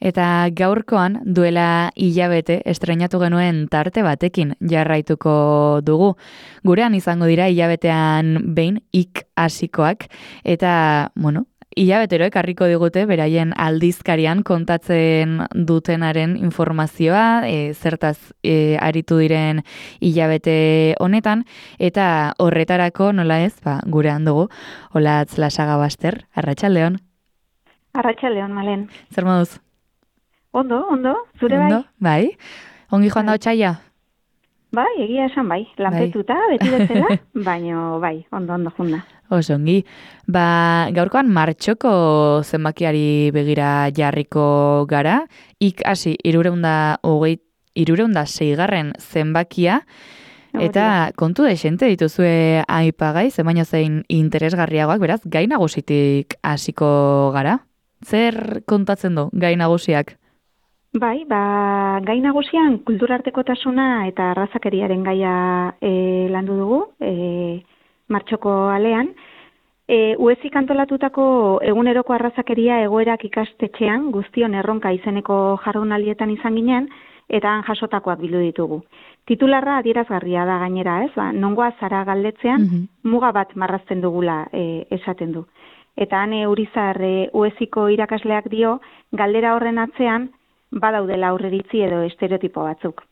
Eta gaurkoan duela hilabete estreinatu genuen tarte batekin jarraituko dugu. Gurean izango dira hilabetean behin hasikoak eta, hilabetero ekarriko digute beraien aldizkarian kontatzen dutenaren informazioa, zertaz aritu diren hilabete honetan, eta horretarako nola ez, gurean dugu, Olatz Lasaga Baster, arratsaldeon. Arratsaldeon, Malen. Zer moduz? Ondo, zure bai? Ondo, bai. Ongi joan da otsaila? Bai, egia esan bai. Lanpetuta, beti bezala, baino bai, ondo junda. Oso ongi. Gaurkoan martxoko zenbakiari begira jarriko gara. Hasi 306 zenbakia. Eta kontu desente dituzue aipagai, baina zein interesgarriagoak, beraz, gai nagusitik hasiko gara. Zer kontatzen du gai nagusiak? Bai, gai nagusian kulturartekotasuna eta arrazakeriaren gaia landu dugu, martxoko alean. Uezik antolatutako eguneroko arrazakeria egoerak ikastetxean guztion erronka izeneko jardunaldietan izan ginen, eta han jasotakoak bildu ditugu. Titularra adierazgarria da gainera, ez? Nongoa zara galdetzean muga bat marrazten dugula esaten du. Eta han Urizar Ueziko irakasleak dio, galdera horren atzean badaudela aurreritzi edo estereotipo batzuk.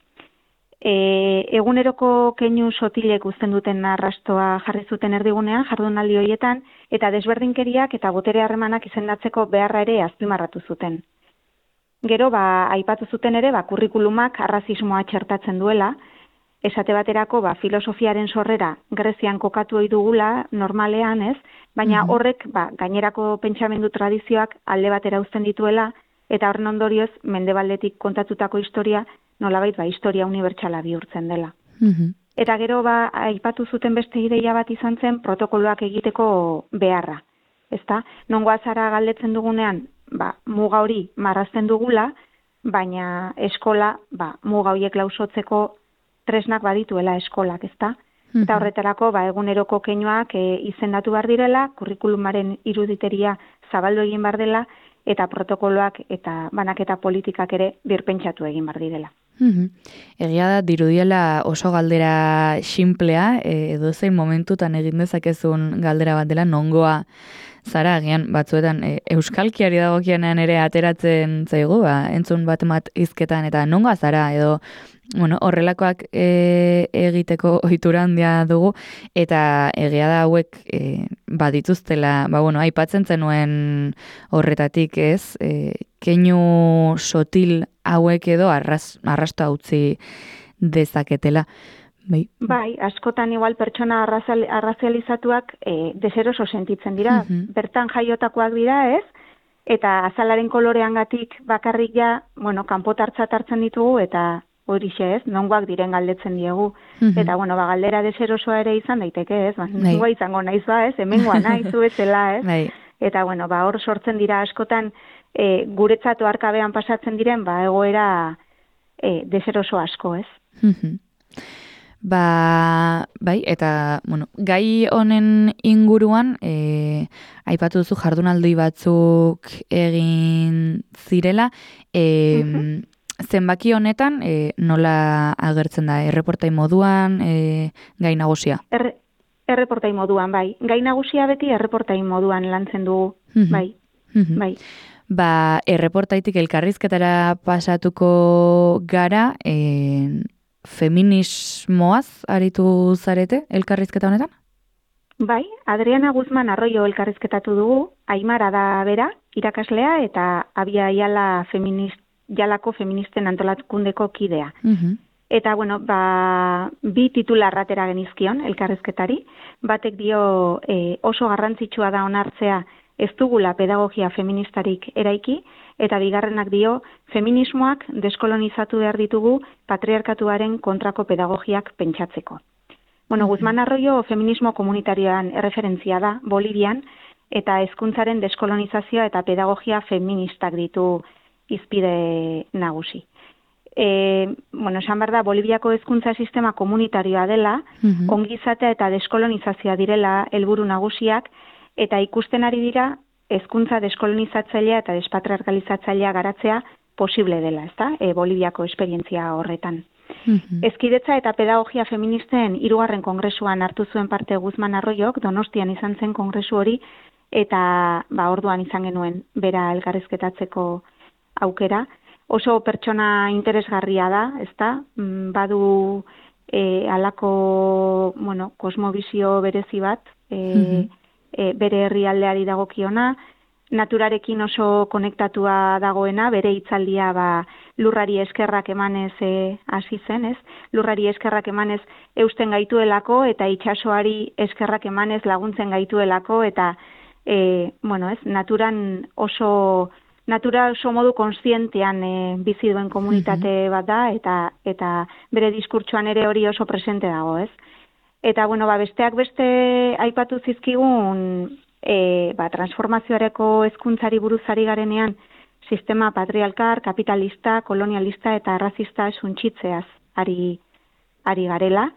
Eguneroko keinu sotilek uzten duten arrastoa jarri zuten erdigunean jardunaldi horietan, eta desberdinkeriak eta botere harremanak izendatzeko beharra ere azpimarratu zuten. Gero, aipatu zuten ere, kurrikulumak arrazismoa txertatzen duela, esate baterako, filosofiaren sorrera Grezian kokatu ohi dugula, normalean, ez? Baina horrek, gainerako pentsamendu tradizioak alde batera uzten dituela, eta horren ondorioz, mendebaldetik kontatutako historia, nolabait, historia unibertsala bihurtzen dela. Eta gero, aipatu zuten beste ideia bat izan zen, protokoloak egiteko beharra. Ezta? Nongoa zara galdetzen dugunean, muga hori marrazten dugula, baina eskola, muga horiek lausotzeko tresnak badituela eskolak, ezta? Eta horretarako, eguneroko keinuak izendatu behar direla, kurrikulumaren iruditeria zabaldu egin behar dela, eta protokoloak eta banaketa politikak ere birpentsatu egin behar direla. Egia da, dirudiela oso galdera xinplea, edo zein momentutan egin dezakezun galdera bat dela, nongoa zara, agian batzuetan euskalkiari dagokienean ere ateratzen zaigu, entzun bat hizketan, eta nongoa zara, edo horrelakoak egiteko ohitura handia dugu, eta egia da hauek badituztela, aipatzen zenuen horretatik, ez? Keinu sotil hauek edo arrasto utzi dezaketela. Bai, askotan igual pertsona arrazializatuak deseroso sentitzen dira. Bertan jaiotakoak dira, ez? Eta azalaren koloreangatik bakarrik kanpotartzat hartzen ditugu, eta horixe, ez? Nongoak diren galdetzen diegu. Eta, galdera deserosoa ere izan daiteke, ez? Nongoa izango naiz ez? Hemengoa naiz, zuetzela, ez? Eta, hor sortzen dira askotan guretzat oharkabean pasatzen diren, egoera deseroso asko, ez? Bai, eta, gai honen inguruan, aipatu duzu jardunaldi batzuk egin zirela, zenbaki honetan nola agertzen da, erreportai moduan, gai nagusia? Erreportai moduan, bai. Gai nagusia beti erreportai moduan lantzen dugu, bai. Erreportaitik elkarrizketara pasatuko gara, feminismoaz aritu zarete elkarrizketa honetan? Bai, Adriana Guzman Arroyo elkarrizketatu dugu, Aimara da bera, irakaslea, eta Abia Jalako feministen antolakundeko kidea. Eta, bi titular atera genizkion elkarrizketari, batek dio oso garrantzitsua da onartzea ez dugula pedagogia feministarik eraiki, eta bigarrenak dio, feminismoak deskolonizatu behar ditugu patriarkatuaren kontrako pedagogiak pentsatzeko. Guzman Arroyo feminismo komunitarioan erreferentzia da, Bolivian, eta hezkuntzaren deskolonizazioa eta pedagogia feministak ditu hizpide nagusi. Esan behar da, Boliviako hezkuntza sistema komunitarioa dela, ongizatea eta deskolonizazioa direla helburu nagusiak, eta ikusten ari dira hezkuntza deskolonizatzailea eta despatriarkalizatzailea garatzea posible dela, ezta? Boliviako esperientzia horretan. Hezkidetza eta pedagogia feministen 3. kongresuan hartu zuen parte Guzman Arroyok, Donostian izan zen kongresu hori, eta orduan izan genuen bera elkarrizketatzeko aukera. Oso pertsona interesgarria da, ezta? Badu halako, kosmobizio berezi bat, bere herrialdeari dagokiona, naturarekin oso konektatua dagoena, bere hitzaldia lurrari eskerrak emanez hasi zen, ez? Lurrari eskerrak emanez eusten gaituelako eta itsasoari eskerrak emanez laguntzen gaituelako eta natura oso modu kontzientean bizi duen komunitate bat da eta bere diskurtsoan ere hori oso presente dago, ez? Eta besteak beste aipatu zizkigun transformazioareko hezkuntzari buruzari garenean sistema patriarkal, kapitalista, kolonialista eta arrazista suntsitzeaz ari garela.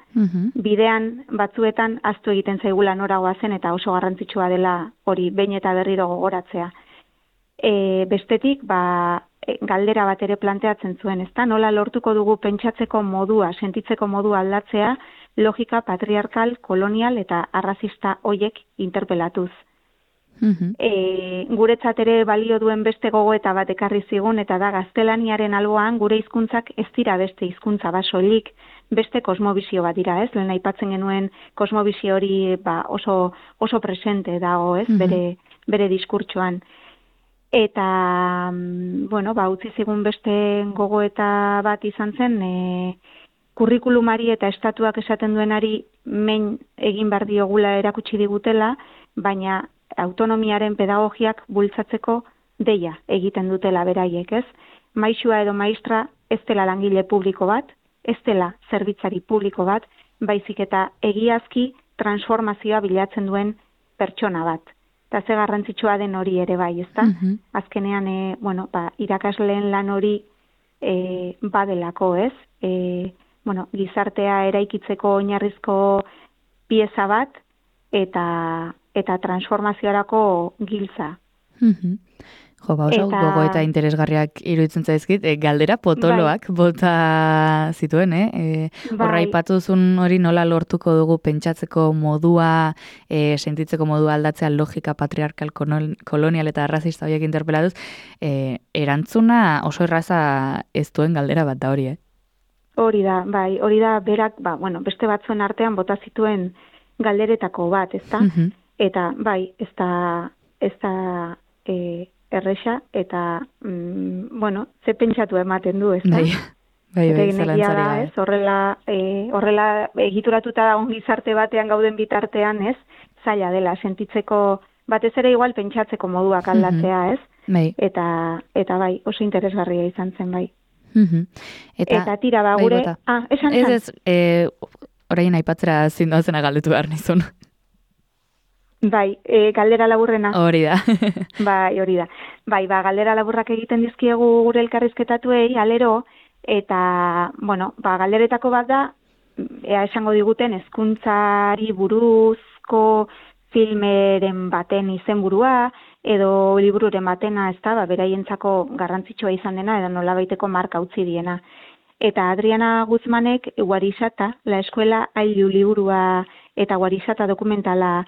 Bidean batzuetan ahaztu egiten zaigula nora goazen eta oso garrantzitsua dela hori behin eta berriro gogoratzea. Bestetik, galdera bat ere planteatzen zuen, ezta? Nola lortuko dugu pentsatzeko modua, sentitzeko modua aldatzea, logika patriarkal, kolonial eta arrazista hoiek interpelatuz. Guretzat ere balio duen beste gogoeta bat ekarri zigun eta da gaztelaniaren alboan gure hizkuntzak ez dira beste hizkuntza bat soilik, beste kosmobizio bat dira, ez? Lehen aipatzen genuen kosmobizio hori oso presente dago, ez? Bere diskurtsoan. Eta, utzi zigun beste gogoeta bat izan zen, kurrikulumari eta estatuak esaten duenari mein egin behar diogula erakutsi digutela, baina autonomiaren pedagogiak bultzatzeko deia egiten dutela beraiek, ez? Maisua edo maistra ez dela langile publiko bat, ez dela zerbitzari publiko bat, baizik eta egiazki transformazioa bilatzen duen pertsona bat. Eta ze garrantzitsua den hori ere bai, ezta? Azkenean, irakasleen lan hori badelako, ez? Gizartea eraikitzeko oinarrizko pieza bat eta transformaziorako giltza. Oso gogoeta interesgarriak iruditzen zaizkit, galdera potoloak bota zituen, Horra ipatuzun hori nola lortuko dugu pentsatzeko modua, sentitzeko modua aldatzea logika patriarkal, kolonial eta arrazista horiek interpelatuz, erantzuna oso erraza ez duen galdera bat da hori, Hori da berak, beste batzuen artean bota zituen galderetako bat, ezta? Eta, ez da erresa, eta, ze pentsatu ematen du, ezta? Zalantzari ez? Horrela egituratuta dagoen gizarte batean gauden bitartean, ez? Zaila dela, sentitzeko, batez ere igual pentsatzeko moduak aldatzea, ez? Eta oso interesgarria izan zen, bai. Eta tira, gure... esan. Ez, orain aipatzera zindoazena galdetu behar nizun. Galdera laburrena. Hori da. Hori da. Galdera laburrak egiten dizkiegu gure elkarrizketatuei, alero, eta, galderetako bat da, esango diguten, hezkuntzari buruzko filmeren baten izenburua, edo libururen batena, ez da, beraientzako garrantzitsua izan dena, edo nolabaiteko marka utzi diena. Eta Adriana Guzmanek Guarisata, la eskuela ailu liburua eta Guarisata dokumentala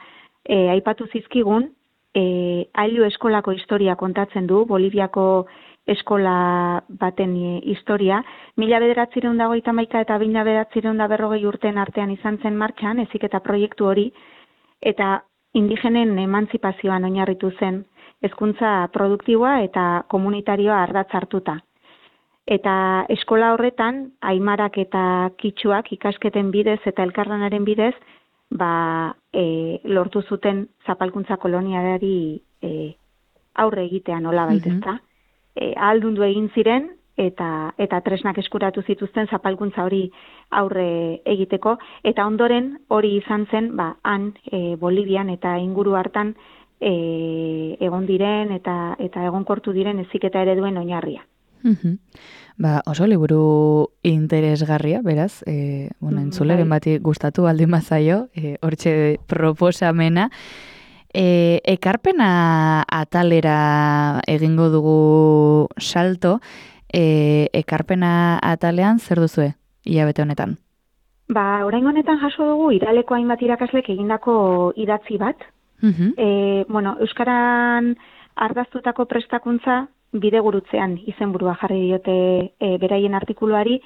aipatu zizkigun, ailu eskolako historia kontatzen du, Boliviako eskola baten historia, 1951 eta 1940 urteen artean izan zen martxan, heziketa proiektu hori, eta indigenen emantzipazioan oinarritu zen, hezkuntza produktiboa eta komunitarioa ardatz hartuta. Eta eskola horretan, aimarak eta kitxuak ikasketen bidez eta elkarlanaren bidez, lortu zuten zapalkuntza kolonialari aurre egitea nolabait, ezta? Ahaldundu egin ziren eta tresnak eskuratu zituzten zapalkuntza hori aurre egiteko, eta ondoren hori izan zen, han Bolivian eta inguru hartan egon diren eta egonkortu diren heziketa ereduen oinarria. Oso liburu interesgarria, beraz, entzuleren bati gustatu baldin bazaio, hortxe proposamena, Ekarpena atalera egingo dugu salto, ekarpena atalean zer duzue hilabete honetan? Orain honetan jaso dugu iraleko hainbat irakaslek egindako idatzi bat. Euskaran ardaztutako prestakuntza bidegurutzean izenburua jarri diote beraien artikuluari.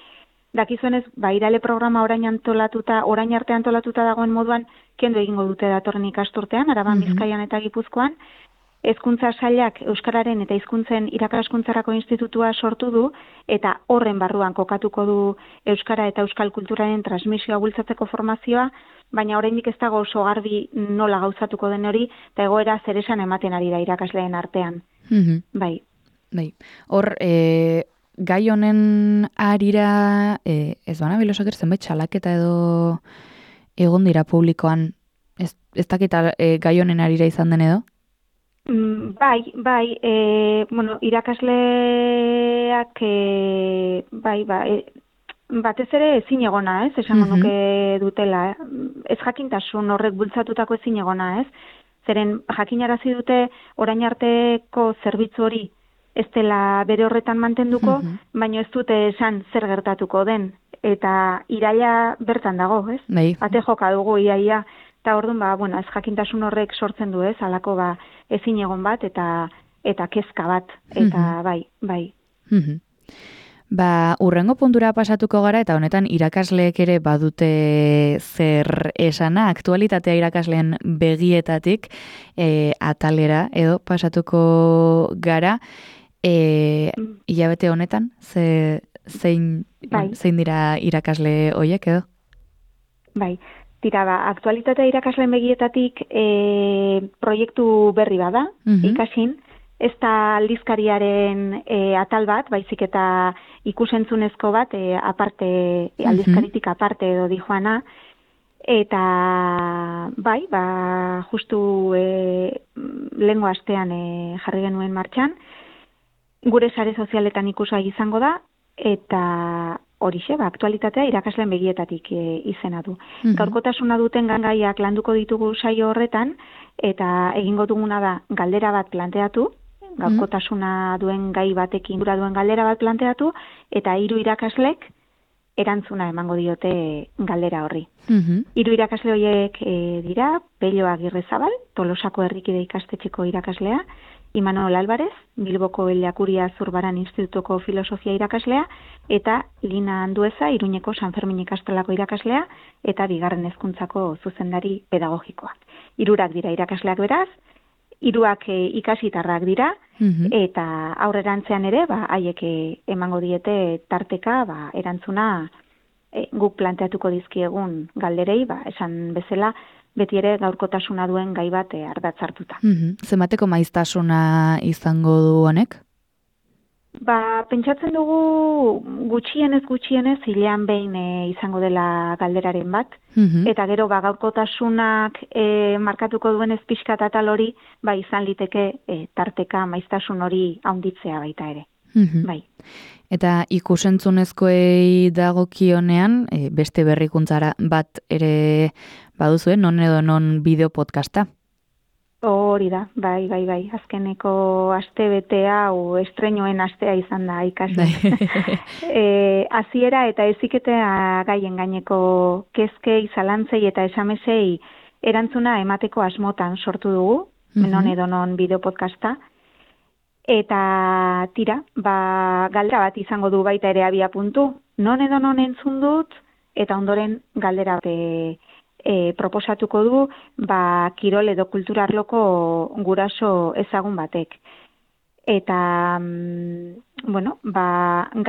Dakizuenez, irale programa orain arte antolatuta dagoen moduan, kendu egingo dute datorren ikasturtean, Araban, Bizkaian eta Gipuzkoan. Hezkuntza sailak Euskararen eta Hizkuntzen Irakaskuntzarako Institutua sortu du, eta horren barruan kokatuko du Euskara eta Euskal Kulturaren transmisioa bultzatzeko formazioa, baina oraindik ez dago oso garbi nola gauzatuko den hori, eta egoera zeresan ematen ari da irakasleen artean. Bai. Hor, gai honen arira, ez bana bilosak zenbait txalaketa edo egon dira publikoan, ez dakita gai honen arira izan den edo? Irakasleak batez ere ezin egona, ez? Esango nuke dutela, ez jakintasun horrek bultzatutako ezin egona, ez? Zeren jakinarazi dute orain arteko zerbitzu hori ez dela bere horretan mantenduko, baina ez dute esan zer gertatuko den. Eta iraila bertan dago, ez? Ate joka dugu iaia. Eta orduan, ez jakintasun horrek sortzen du, ez? Halako ezin egon bat eta kezka bat. Eta bai. Urrengo puntura pasatuko gara, eta honetan irakasleek ere badute zer esana, aktualitatea irakasleen begietatik atalera edo pasatuko gara. Hilabete honetan, zein dira irakasle horiek edo? Bai, aktualitatea irakasleen begietatik proiektu berri bada, ikasin, ez da aldizkariaren atal bat, baizik eta ikusentzunezko bat, aldizkaritik aparte edo dijoana, eta justu lehengo astean jarri genuen martxan, gure sare sozialetan ikusgai izango da, eta horixe, aktualitatea irakasleen begietatik izena du. Gaurkotasuna duten gaiak landuko ditugu saio horretan, eta egingo duguna da galdera bat planteatu, gaurkotasuna duen gai batekin dura duen galdera bat planteatu, eta 3 irakaslek erantzuna emango diote galdera horri. 3 irakasle horiek dira, Pello Agirrezabal, Tolosako Herrikide ikastetxeko irakaslea, Imanol Álvarez, Bilboko Eliakuria Zurbaran Institutuko Filosofia irakaslea, eta Lina Andueza, Iruñeko San Fermin ikastolako irakaslea, eta 2. hezkuntzako zuzendari pedagogikoa. 3 dira irakasleak beraz, 3 ikasitarrak dira, eta aurrerantzean ere, haiek emango diete tarteka, erantzuna guk planteatuko dizkiegun galderei, esan bezala, beti ere gaurkotasuna duen gai bat ardatzartuta. Zenbateko maiztasuna izango du honek? Pentsatzen dugu gutxienez hilean behin izango dela galderaren bat, eta gero gaurkotasunak markatuko duen pixkat atal hori, izan liteke tarteka maiztasun hori haunditzea baita ere. Bai. Eta ikusentzunezkoei dagokionean, beste berrikuntzara bat ere baduzue, non edo non bideo podcasta? Hori da, bai. Azkeneko aste hau estreinoen astea izan da ikasi. Hasiera eta heziketa gaien gaineko kezkei, zalantzei eta esamesei erantzuna emateko asmotan sortu dugu, non edo non bideo podcasta. Eta galdera bat izango du baita ere abia puntu. Non edo non entzun dut, eta ondoren galdera bat proposatuko du, kirol edo kultura arloko guraso ezagun batek. Eta,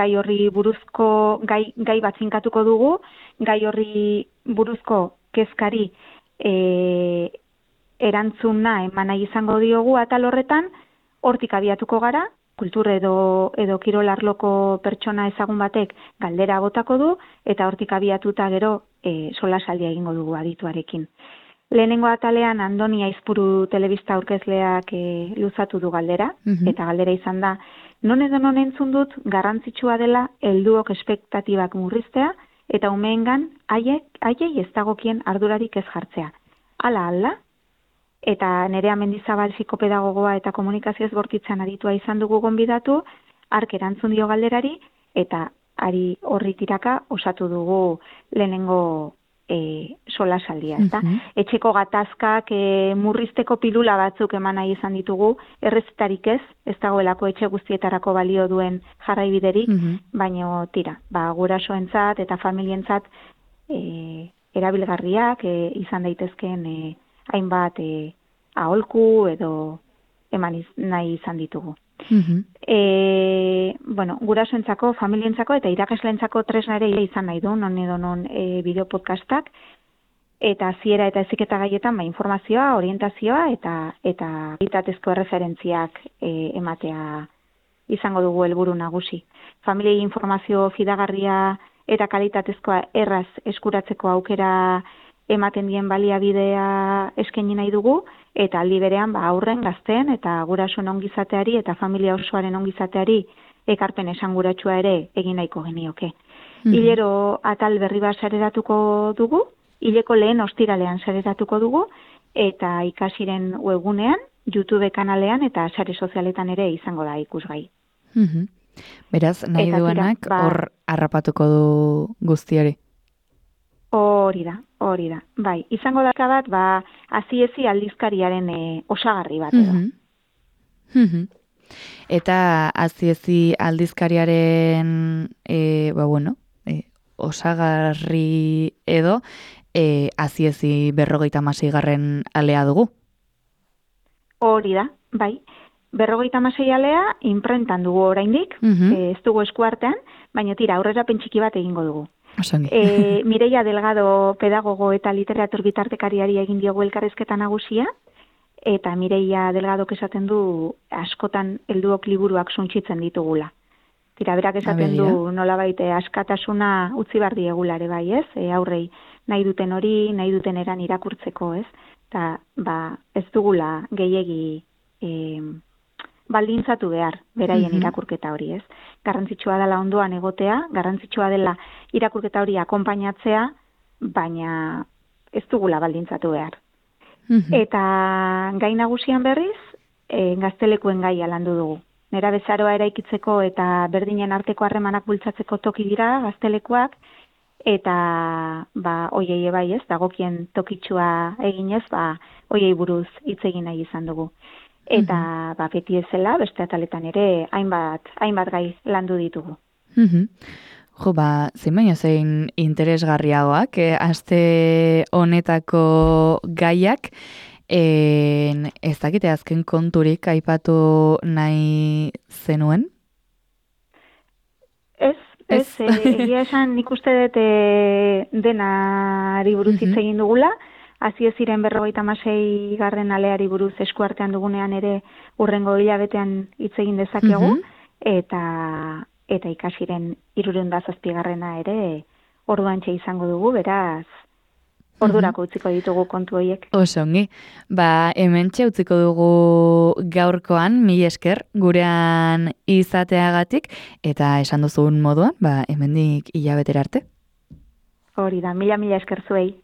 gai horri buruzko, gai bat zinkatuko dugu, gai horri buruzko kezkari erantzuna eman nahi izango diogu atal horretan, hortik abiatuko gara, kultur edo kirol arloko pertsona ezagun batek galdera botako du, eta hortik abiatuta gero solasaldia egingo dugu adituarekin. Lehenengo atalean Andoni Aizpuru telebista aurkezleak luzatu du galdera, eta galdera izan da, non edo non entzun dut garrantzitsua dela helduok espektatibak murriztea, eta umeengan haiei ez dagokien ardurarik ez jartzea. Hala, eta Nerea Mendizabal psikopedagogoa eta komunikazioz bortitzan aditua izan dugu gonbidatu, ark erantzun dio galderari, eta ari horri tiraka osatu dugu lehenengo solasaldia, ezta? Etxeko gatazkak murrizteko pilula batzuk eman nahi izan ditugu, errezetarik ez dagoelako etxe guztietarako balio duen jarraibiderik, baino tira, gurasoentzat eta familientzat erabilgarriak izan daitezkeen hainbat aholku edo eman nahi izan ditugu. Gurasoentzako, familientzako eta irakasleentzako tresna ere izan nahi du, non edo non bideo podcastak, eta hasiera eta heziketa gaietan informazioa, orientazioa eta kalitatezko erreferentziak ematea izango dugu helburu nagusi. Familiei informazio fidagarria eta kalitatezkoa erraz eskuratzeko aukera ematen dien baliabidea eskaini nahi dugu, eta aldi berean aurren, gazteen eta gurasoen ongizateari eta familia osoaren ongizateari ekarpen esanguratsua ere egin nahiko genioke. Hilero atal berri bat sareratuko dugu, hileko lehen ostiralean sareratuko dugu, eta ikasiren webgunean, YouTube kanalean eta sare sozialetan ere izango da ikusgai. Beraz, nahi duenak hor harrapatuko du guztiari. Hori da. Bai, izango daka bat, aziezi aldizkariaren osagarri bat edo. Eta aziezi aldizkariaren osagarri edo aziezi 56. alea dugu. Hori da, bai. 56 alea inprentan dugu oraindik, ez dugu eskuartean, baina tira, aurrera pentsiki bat egingo dugu. Mireia Delgado pedagogo eta literatur bitartekariari egin diogu elkarrizketa nagusia, eta Mireia Delgado esaten du askotan helduok liburuak suntsitzen ditugula. Tira, berak esaten du nolabait askatasuna utzi bar diegula ere bai, ez? Aurrei nahi duten hori, nahi duten eran irakurtzeko, ez? Eta ez dugula gehiegi baldintzatu behar beraien irakurketa hori, ez? Garrantzitsua dela ondoan egotea, garrantzitsua dela irakurketa hori akonpainatzea, baina ez dugula baldintzatu behar. Eta gai nagusian berriz, gaztelekuen gaia landu dugu. Nerabezaroa eraikitzeko eta berdinen arteko harremanak bultzatzeko toki dira gaztelekuak, eta hoiei bai ez, dagokien tokitsua eginez, hoiei buruz hitz egin nahi izan dugu. Eta beti ezela, beste ataletan ere, hainbat gai landu ditugu. Zein baino zein interesgarriagoak, aste honetako gaiak, ez dakite azken konturik aipatu nahi zenuen? Egia esan nik uste dut denari buruz hitz egin dugula, Azieziren 56. aleari buruz eskuartean dugunean ere urrengo hilabetean hitz egin dezakegu, eta ikasiren 307. ere orduantxe izango dugu, beraz ordurako utziko ditugu kontu horiek. Oso ongi. Hementxe utziko dugu gaurkoan, mila esker gurean izateagatik, eta esan duzun moduan, hemendik hilabetera arte. Hori da, mila esker zuei.